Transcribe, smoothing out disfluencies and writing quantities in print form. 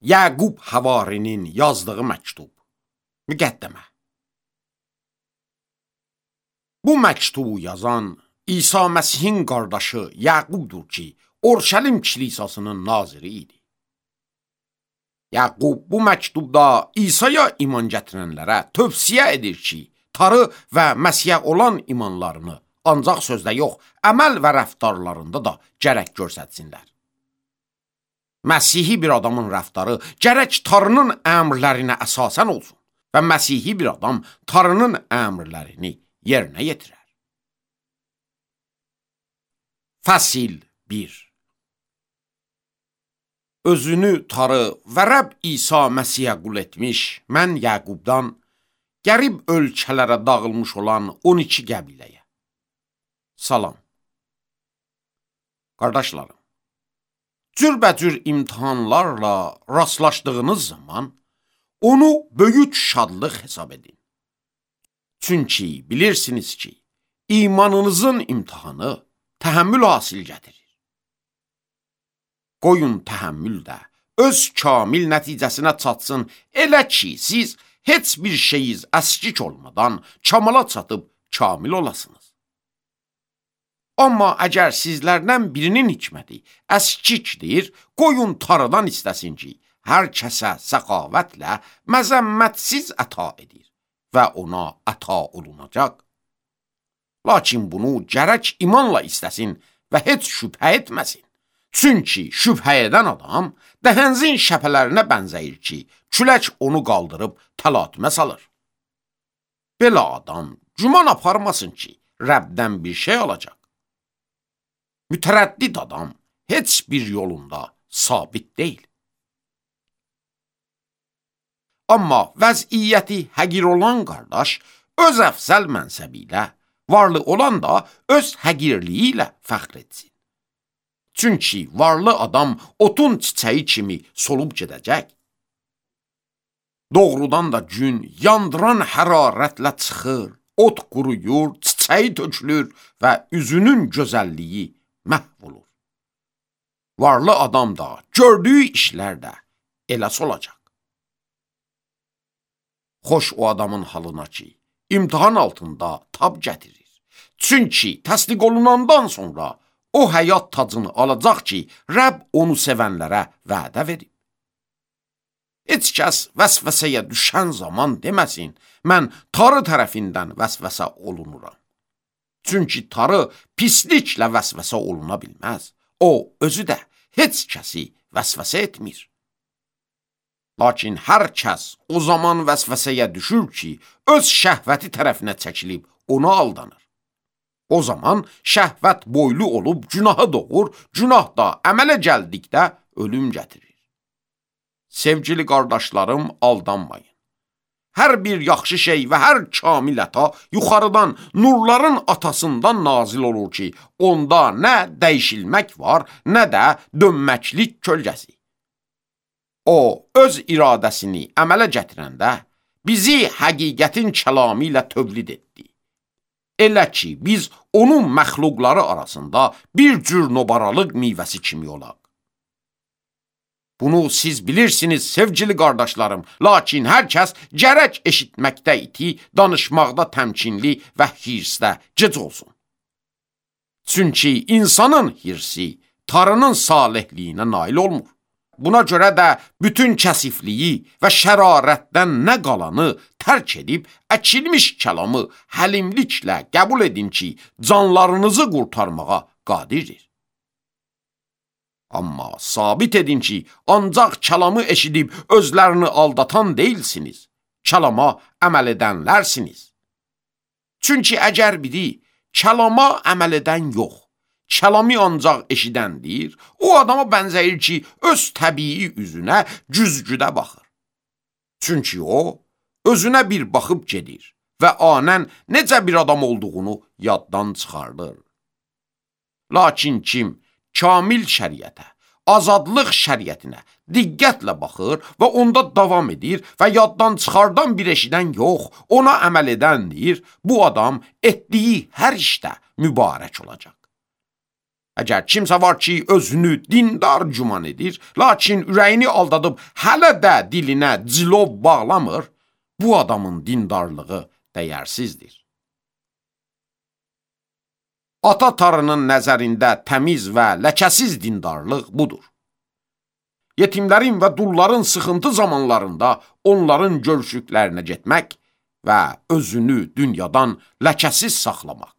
Yaqub Havarinin yazdığı məktub. Müqəddəmə. Bu məktubu yazan İsa Məsihin qardaşı Yaqubdur ki, Orşəlim kilisasının naziri idi. Yaqub bu məktubda İsa'ya iman gətirənlərə tövsiyə edir ki, tarı və Məsihə olan imanlarını ancaq sözdə yox, əməl və rəftarlarında da gərək göstərsinlər. Məsihi bir adamın rəftarı gərək tarının əmrlərinə əsasən olsun və Məsihi bir adam tarının əmrlərini yerinə yetirər. Fəsil 1. Özünü tarı və Rəbb İsa Məsihə qul etmiş, mən Yaqubdan qərib ölkələrə dağılmış olan 12 qəbiləyə. Salam. Qardaşlarım, cürbəcür imtihanlarla rastlaşdığınız zaman onu böyük şadlıq hesab edin. Çünki bilirsiniz ki, imanınızın imtihanı təhəmmül hasil gətirir. Qoyun təhəmmül də öz kamil nəticəsinə çatsın, elə ki, siz heç bir şeyiz əskik olmadan kamala çatıb kamil olasınız. Amma əgər sizlərdən birinin hikməti əskikdir, qoyun tarıdan istəsin ki, hər kəsə səxavətlə məzəmmətsiz əta edir və ona əta olunacaq. Lakin bunu gərək imanla istəsin və heç şübhə etməsin. Çünki şübhə edən adam dəhənzin şəpələrinə bənzəyir ki, külək onu qaldırıb təlatümə salır. Belə adam güman aparmasın ki, Rəbdən bir şey alacaq. Mütərəddid adam heç bir yolunda sabit deyil. Amma vəziyyəti həqir olan qardaş öz əfsəl mənsəbi ilə, varlı olan da öz həqirliyi ilə fəxr etsin. Çünki varlı adam otun çiçəyi kimi solub gedəcək. Doğrudan da gün yandıran hərarətlə çıxır, ot quruyur, çiçəyi tökülür və üzünün gözəlliyi məhv olur. Varlı adam da gördüyü işlər də elə olacaq. Xoş o adamın halına ki, imtihan altında tab gətirir. Çünki təsdiq olunandan sonra o həyat tacını alacaq ki, Rəbb onu sevənlərə vədə verib. Heç kəs vəsvəsəyə düşən zaman deməsin, mən tarı tərəfindən vəsvəsə olunuram. Çünki tarı pisliklə vəsvəsə oluna bilməz. O, özü də heç kəsi vəsvəsə etmir. Lakin hər kəs o zaman vəsvəsəyə düşür ki, öz şəhvəti tərəfinə çəkilib ona aldanır. O zaman şəhvət boylu olub günahı doğur, günah da əmələ gəldikdə ölüm gətirir. Sevgili qardaşlarım, aldanmayın. Hər bir yaxşı şey və hər kamil əta yuxarıdan, nurların atasından nazil olur ki, onda nə dəyişilmək var, nə də dönməklik kölgəsi. O, öz iradəsini əmələ gətirəndə bizi həqiqətin kəlamı ilə tövlid etdi. Elə ki, biz onun məxluqları arasında bir cür nobaralıq meyvəsi kimi olaq. Bunu siz bilirsiniz, sevgili qardaşlarım, lakin hər kəs gərək eşitməkdə iti, danışmaqda təmkinli və hirsdə gec olsun. Çünki insanın hirsi tarının salihliyinə nail olmur. Buna görə də bütün kəsifliyi və şərarətdən nə qalanı tərk edib, əkilmiş kəlamı həlimliklə qəbul edin ki, canlarınızı qurtarmağa qadirdir. Amma sabit edin ki, ancaq kəlamı eşidib özlərini aldatan deyilsiniz, kəlama əməl edənlərsiniz. Çünki əgər biri kəlama əməl edən yox, kəlami ancaq eşidəndir, o adama bənzəyir ki, öz təbii üzünə güzgüdə baxır. Çünki o, özünə bir baxıb gedir və anən necə bir adam olduğunu yaddan çıxardır. Lakin kim kamil şəriətə, azadlıq şəriətinə diqqətlə baxır və onda davam edir və yaddan çıxardan bir eşidən yox, ona əməl edəndir, bu adam etdiyi hər işdə mübarək olacaq. Əgər kimsə var ki, özünü dindar güman edir, lakin ürəyini aldadıb hələ də dilinə cilov bağlamır, bu adamın dindarlığı dəyərsizdir. Ata tarının nəzərində təmiz və ləkəsiz dindarlıq budur. Yetimlərin və dulların sıxıntı zamanlarında onların görüşüklərinə getmək və özünü dünyadan ləkəsiz saxlamaq.